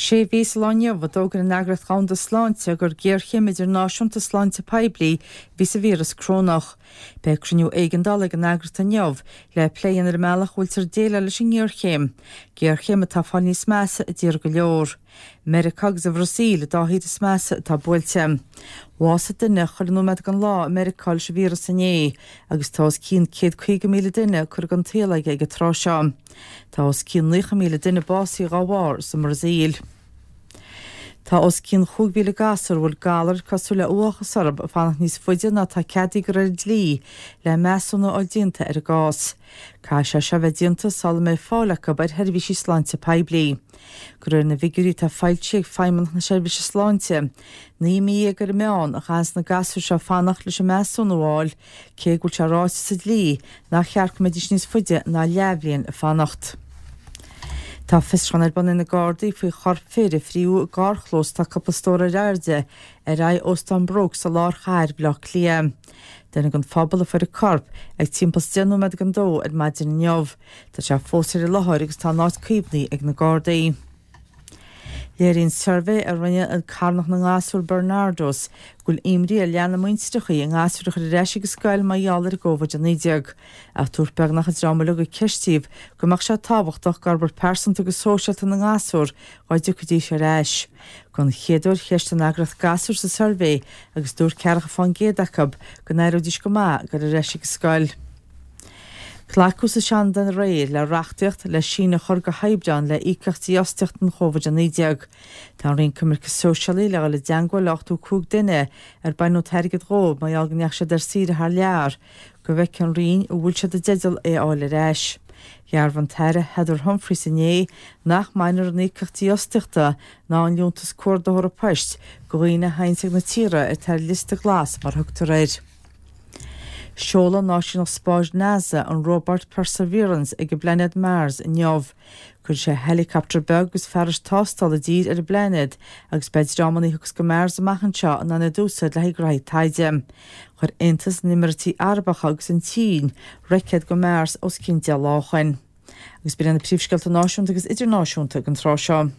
Sé mhí sa lá inniu a d'fhógair an Eagraíocht Dhomhanda Sláinte gur géarchéim idirnáisiúnta sláinte poiblí a bhí sa víreas corónach. Beidh cruinniú éigeandála ag an eagraíocht inniu le plé a dhéanamh ar an mbealach a bhfuiltear ag déileáil leis an ngéarchéim, géarchéim atá ag fáil níos measa i dtíortha go leor. Meiriceá agus an Bhrasaíl an dá thír is measa atá buailte. Bhásaigh duine chuile nóiméad den lá i Meiriceá leis an víreas inné agus tá os cionn 150,000 duine curtha den tsaol aige ag an tráth seo. Tá os cionn 90,000 duine básaithe dhá bharr sa mBrasaíl. Tá os cionn 5,000 gasúr a bhfuil galar cosúil le uathachas orthu ag fanacht níos faide ná atá ceadaithe de réir an dlí le measúnú a fháil déanta ar a gcás. Caithfidh sé seo a bheith déanta sula mbeidh fáil acu ar sheirbhísí sláinte poiblí. De réir na bhfigiúirí atá foilsithe ag Feidhmeannacht na Seirbhíse Sláinte, 19 mí ar an meán a chaitheanns na gasúir seo fanacht leis an measúnú a fháil, cé go bhfuil sé ráite sa dlí nach cheart go mbeidís níos faide ná leathbhliain ag fanacht. Tá fiosrúchán ar bun ag na Gardaí faoi chorp fir a fríodh i gcarrchlós atá cúpla stór ar airde ar aghaidh Óstán Brooks i lár chathair Bhaile Átha Cliath. Duine den phobal a fuair an corp ag timpeall is 10 nóiméad don dó ar maidin inniu. Tá sé fós ar an láthair agus tá an áit caomhnaithe ag na Gardaí. Léiríonn suirbhé a rinne carthanacht na ngasúr Barnardos go bhfuil imní ar leath na muintreachaí a ngasúir a chur ar ais ag an scoil mar gheall ar an gCóivid-19. Ach dúirt beagnach an dream uilig a ceistíodh go mbeadh sé tábhachtach d'fhorbairt pearsanta agus sóisialta na ngasúr dá dtiocfaidís ar ais. Don chéad uair cheistigh an eagraíocht gasúir sa suirbhé agus dúirt ceathracha fán gcéad acu go n-aireoidís go maith dul ar ais ag an scoil. Glacadh sa Seanad aréir le reachtaíocht le síneadh a chur go hAibreán le íocaíocht dífhostaíochta don Chóivid-19. Tá an Roinn Coimirce Sóisialaí le dhul i dteangmháil le 85 duine ar baineadh an t-airgead dhóibh mar gheall go ndeachaigh siad ar saoire thar lear, go bhfeicfidh an Roinn an bhfuil siad i dteideal é a fháil ar ais. Dhearbhaigh an tAire Heather Humphreys inné nach mbainfear an íocaíocht dífhostaíochta ná an liúntas cuardaitheora poist de dhaoine a théanns ag na tíortha atá ar liosta glas mar a thugtar air. Seolfaidh an Áisíneacht Spáis NASA an róbat Perseverance ag an bplainéad Mars inniu. Cuirfidh sé helicopter beag agus fearais tástála i dtír ar an bplainéad agus beidh dreamanna a thiocfas go Mars amach anseo in ann iad a úsáid le haghaidh graithí taighde. Chuir Aontas na nÉimíríochtaí Arabacha agus an tSín roicéad go Mars os cionn 10 lá ó shoin. Agus b'in iad na príomhscéalta náisiúnta agus idirnáisiúnta ag an tráth seo.